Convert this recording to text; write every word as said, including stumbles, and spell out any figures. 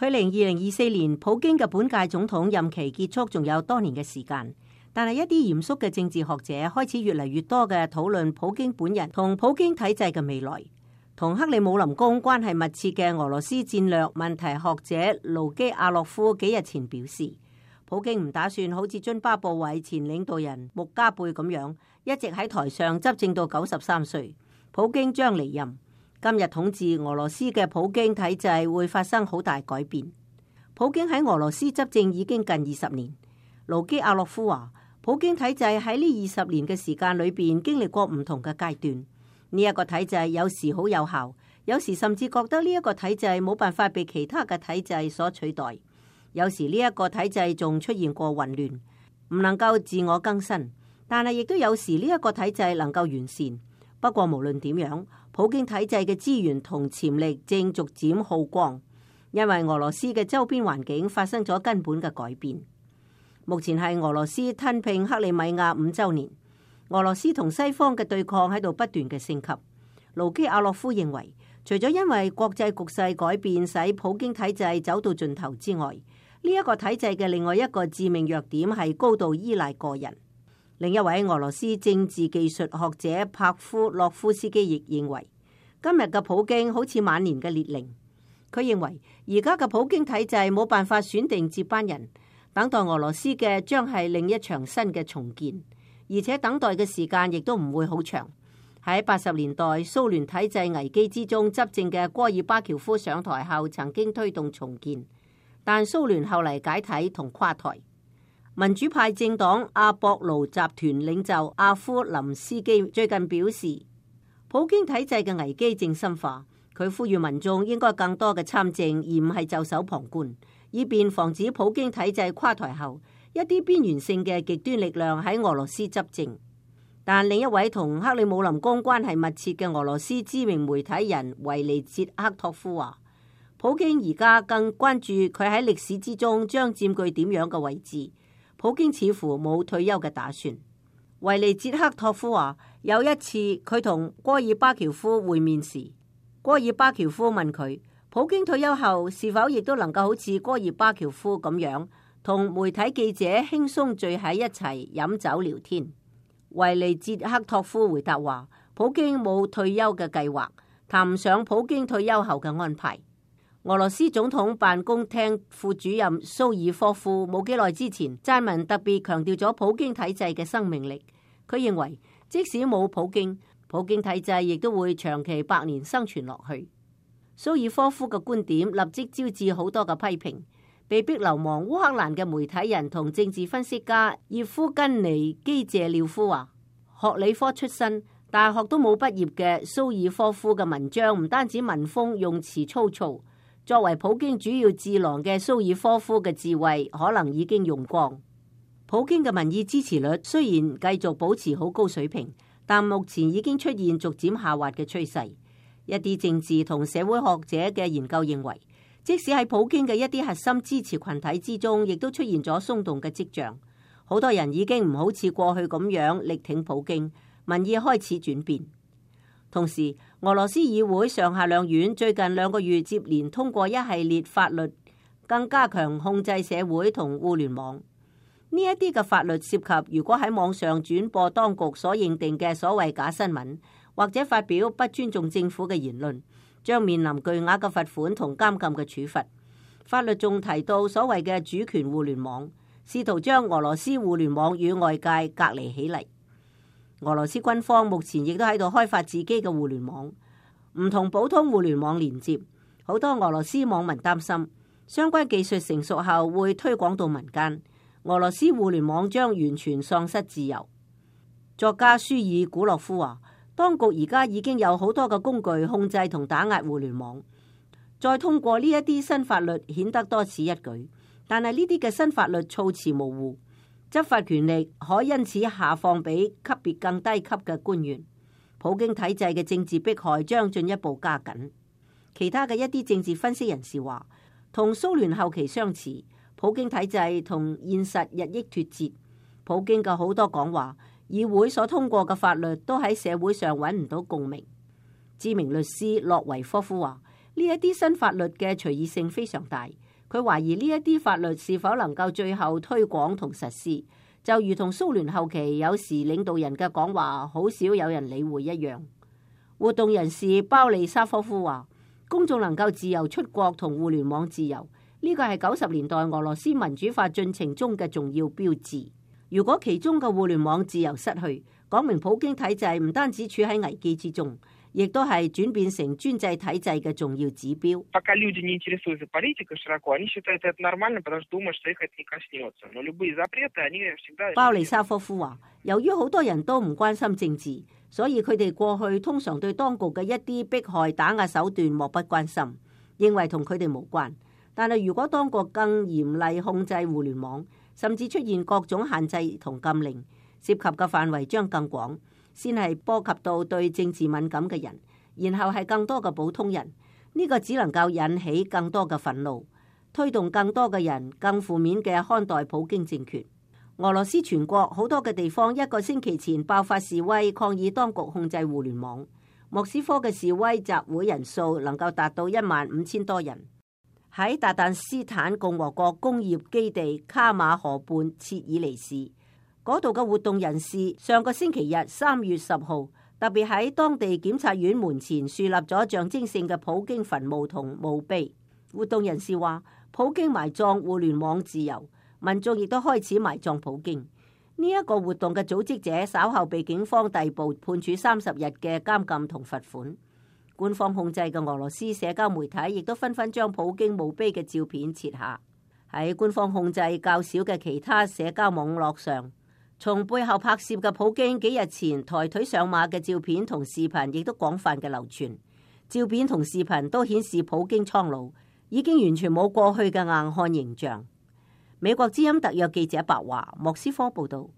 距離二零二四年普京嘅本屆總統任期結束仲有多年嘅時間，但係一啲嚴肅嘅政治學者開始越嚟越多嘅討論普京本人同普京體制嘅未來。同克里姆林宮關係密切嘅俄羅斯戰略問題學者盧基亞洛夫幾日前表示，普京唔打算好似津巴布韋前領導人穆加貝咁樣一直喺台上執政到九十三歲，普京將離任。今日統治俄羅斯嘅普京體制會發生好大改變。普京喺俄羅斯執政已經近二十年。盧基亞洛夫話，普京體制喺呢二十年嘅時間裏邊經歷過唔同嘅階段。呢一個體制有時好有效，有時甚至覺得呢一個體制冇辦法被其他嘅體制所取代。有時呢一個體制仲出現過混亂，唔能夠自我更新。但係亦都有時呢一個體制能夠完善。不過無論點樣，普京體制嘅資源同潛力正逐漸耗光，因為俄羅斯嘅周邊環境發生咗根本嘅改變。目前係俄羅斯吞併克里米亞五週年，俄羅斯同西方嘅對抗喺度不斷嘅升級。盧基亞洛夫認為，除咗因為國際局勢改變使普京體制走到盡頭之外，呢一個體制嘅另外一個致命弱點係高度依賴個人。另一位俄羅斯政治技術學者帕夫洛夫斯基亦認為，今日嘅普京好似晚年嘅列寧。佢認為而家嘅普京體制冇辦法選定接班人，等待俄羅斯嘅將係另一場新嘅重建，而且等待嘅時間亦都唔會好長。喺八十年代蘇聯體制危機之中執政嘅戈爾巴喬夫上台後曾經推動重建，但蘇聯後嚟解體同垮台。民主派政黨阿博盧集團領袖阿夫林斯基最近表示，普京體制嘅危機正深化，佢呼籲民眾應該更多嘅參政，而唔係袖手旁觀，以便防止普京體制垮台後一啲邊緣性嘅極端力量喺俄羅斯執政。但另一位同克里姆林宮關係密切嘅俄羅斯知名媒體人維尼捷克托夫話，普京而家更關注佢喺歷史之中將佔據點樣嘅位置。普京似乎冇退休嘅打算。維尼捷克托夫話，有一次佢同戈爾巴喬夫會面時，戈爾巴喬夫問佢，普京退休後是否亦都能夠好似戈爾巴喬夫咁樣同媒體記者輕鬆聚喺一齊飲酒聊天。維尼捷克托夫回答話，普京冇退休嘅計劃，談唔上普京退休後嘅安排。俄羅斯總統辦公廳副主任蘇爾科夫冇幾耐之前撰文特別強調咗普京體制嘅生命力。佢認為即使冇普京，普京體制亦都會長期百年生存落去。蘇爾科夫嘅觀點立即招致好多嘅批評。被逼流亡烏克蘭嘅媒體人同政治分析家葉夫根尼基謝廖夫話，學理科出身，大學都冇畢業嘅蘇爾科夫嘅文章唔單止文風用詞粗糙，作為普京主要智囊嘅蘇爾科夫嘅智慧可能已經用光。普京嘅民意支持率雖然繼續保持好高水平，但目前已經出現逐漸下滑嘅趨勢。一啲政治同社會學者嘅研究認為，即使喺普京嘅一啲核心支持群體之中，亦都出現咗鬆動嘅跡象。好多人已經唔好似過去咁樣力挺普京，民意開始轉變。同時，俄羅斯議會上下兩院最近兩個月接連通過一系列法律，更加強控制社會同互聯網。呢一啲嘅法律涉及，如果喺網上轉播當局所認定嘅所謂假新聞，或者發表不尊重政府嘅言論，將面臨巨額嘅罰款同監禁嘅處罰。法律仲提到所謂嘅主權互聯網，試圖將俄羅斯互聯網與外界隔離起嚟。俄羅斯軍方目前亦都喺度開發自己嘅互聯網，唔同普通互聯網連接。好多俄羅斯網民擔心，相關技術成熟後會推廣到民間，俄羅斯互聯網將完全喪失自由。作家舒爾古洛夫話，當局而家已經有好多嘅工具控制同打壓互聯網，再通過呢一啲新法律顯得多此一舉，但係呢啲嘅新法律措辭模糊。執法權力可因此下放俾級別更低級嘅官員，普京體制嘅政治迫害將進一步加緊。其他嘅一啲政治分析人士話，同蘇聯後期相似，普京體制同現實日益脫節。普京嘅好多講話，議會所通過嘅法律都喺社會上揾唔到共鳴。知名律師洛維科夫話，呢一啲新法律嘅隨意性非常大，佢懷疑呢一啲法律是否能夠最後推廣同實施，就如同蘇聯後期有時領導人嘅講話好少有人理會一樣。活動人士鮑利沙科夫話，公眾能夠自由出國同互聯網自由，呢個係九十年代俄羅斯民主化進程中嘅重要標誌。如果其中嘅互聯網自由失去，講明普京體制唔單止處喺危機之中，亦都係轉變成專制體制嘅重要指標。鮑利沙科夫話，由於好多人都唔關心政治，所以佢哋過去通常對當局嘅一啲迫害打壓手段漠不關心，認為同佢哋無關。但係如果當局更嚴厲控制互聯網，甚至出現各種限制同禁令，涉及嘅範圍將更廣，先係波及到對政治敏感嘅人，然後係更多嘅普通人。呢個只能夠引起更多嘅憤怒，推動更多嘅人更負面嘅看待普京政權。俄羅斯全國好多嘅地方一個星期前爆發示威，抗議當局控制互聯網。莫斯科嘅示威集會人數能夠達到一萬五千多人。喺達旦斯坦共和國工業基地卡馬河畔切爾尼市嗰度嘅活動人士，上個星期日三月十號特別喺當地檢察院門前樹立咗象徵性嘅普京墳墓同墓碑。活動人士話，普京埋葬互聯網自由，民眾亦都開始埋葬普京。呢、這、一個活動嘅組織者稍後被警方逮捕，判處三十日嘅監禁同罰款。官方控制嘅俄羅斯社交媒體亦都紛紛將普京墓碑嘅照片撤下。喺官方控制較少嘅其他社交網絡上，從背後拍攝嘅普京幾日前抬腿上馬嘅照片同視頻亦都廣泛嘅流傳。照片同視頻都顯示普京蒼老，已經完全冇過去嘅硬漢形象。美國之音特約記者白華，莫斯科報道。